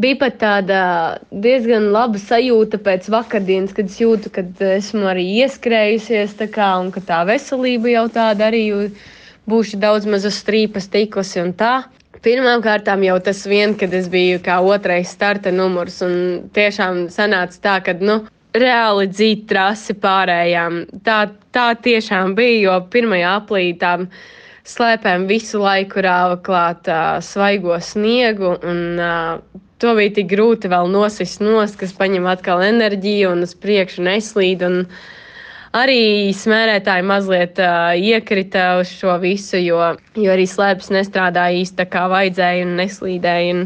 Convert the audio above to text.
Bija pat tāda diezgan laba sajūta pēc vakardienas, kad es jūtu, ka esmu arī ieskrējusies tā kā, un ka tā veselība jau tāda arī būšu daudz maz uz strīpas tikusi un tā. Pirmkārt, jau tas vien, kad es biju kā otrais starta numurs, un tiešām sanāca tā, ka reāli dzīt trasi pārējām. Tā tiešām bija, jo pirmajā aplī tām slēpēm visu laiku rāva klāt svaigo sniegu, un to bija tik grūti vēl nosist nost, kas paņem atkal enerģiju un uz priekšu neslīd. Un arī smērētāji mazliet iekrita uz šo visu, jo arī slēpes nestrādāja īsti tā kā vajadzēja un neslīdēja.